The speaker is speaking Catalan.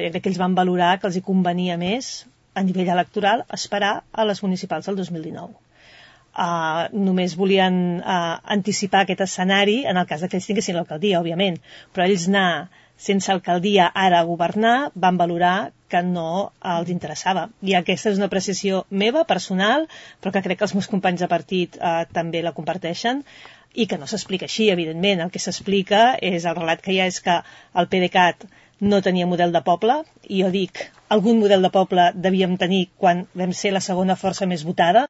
crec que ells van valorar que els hi convenia més a nivell electoral esperar a les municipals del 2019. Només volien anticipar aquest escenari en el cas que ells tinguessin l'alcaldia, òbviament, però ells anar sense alcaldia ara a governar van valorar que no els interessava. I aquesta és una apreciació meva, personal, però que crec que els meus companys de partit també la comparteixen, i que no s'explica així, evidentment. El que s'explica és, el relat que hi ha és que el PDeCAT no tenia model de poble, i jo dic, algun model de poble devíem tenir quan vam ser la segona força més votada.